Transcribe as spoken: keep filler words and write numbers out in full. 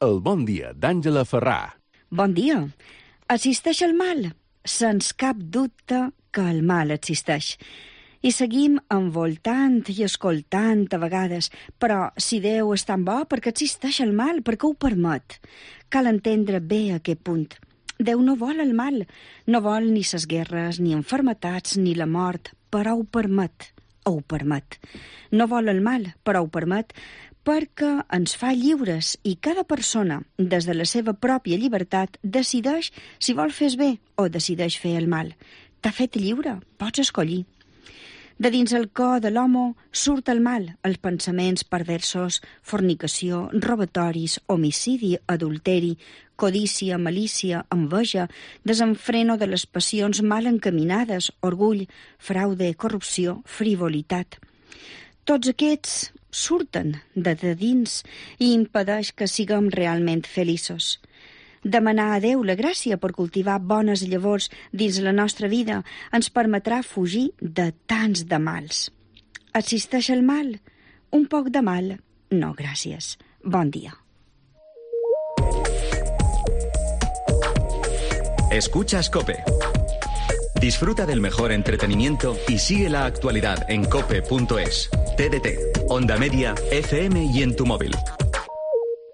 El bon dia d'Àngela Ferrà. Bon dia. Existeix el mal? Sens cap dubte que el mal existeix. I seguim envoltant i escoltant a vegades. Però si Déu és tan bo, per què existeix el mal? Per què ho permet? Cal entendre bé aquest punt. Déu no vol el mal. No vol ni ses guerres, ni enfermetats, ni la mort, però ho permet. Ho permet. No vol el mal, però ho permet, perquè ens fa lliures i cada persona, des de la seva pròpia llibertat, decideix si vol fer bé o decideix fer el mal. T'ha fet lliure, pots escollir. De dins el cor de l'home surt el mal, els pensaments perversos, fornicació, robatoris, homicidi, adulteri, codícia, malícia, enveja, desenfreno de les passions mal encaminades, orgull, fraude, corrupció, frivolitat. Tots aquests surten de, de dins i impedeix que siguem realment feliços. Demanar a Déu la gràcia per cultivar bones llavors dins la nostra vida ens permetrà fugir de tants de mals. Existeix el mal? Un poc de mal? No, gràcies. Bon dia. Escuchas COPE. Disfruta del mejor entretenimiento y sigue la actualidad en cope punto es. T D T, Onda Media, F M y en tu móvil.